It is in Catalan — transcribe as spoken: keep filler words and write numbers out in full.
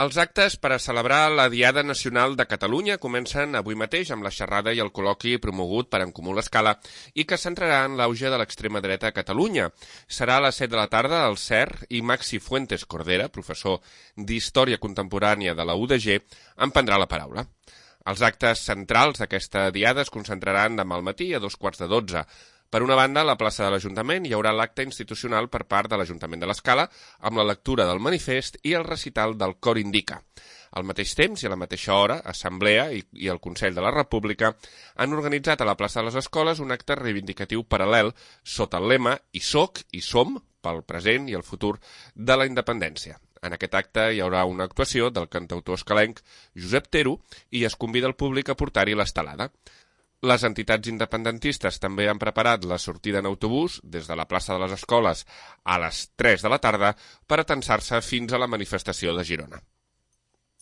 Els actes per a celebrar la Diada Nacional de Catalunya comencen avui mateix amb la xerrada i el col·loqui promogut per En Comú l'Escala i que centrarà en l'auge de l'extrema dreta a Catalunya. Serà a les set de la tarda al C E R i Maxi Fuentes Cordera, professor d'Història Contemporània de la U D G, en prendrà la paraula. Els actes centrals d'aquesta diada es concentraran demà al matí a dos quarts de dotze. Per una banda, a la plaça de l'Ajuntament hi haurà l'acte institucional per part de l'Ajuntament de l'Escala amb la lectura del manifest i el recital del Cor Indica. Al mateix temps i a la mateixa hora, Assemblea i, i el Consell de la República han organitzat a la plaça de les Escoles un acte reivindicatiu paral·lel sota el lema «Hi soc, hi som» pel present i el futur de la independència. En aquest acte hi haurà una actuació del cantautor escalenc Josep Tero i es convida el públic a portar-hi l'estelada. Les entitats independentistes també han preparat la sortida en autobús des de la plaça de les Escoles a les tres de la tarda per atensar-se fins a la manifestació de Girona.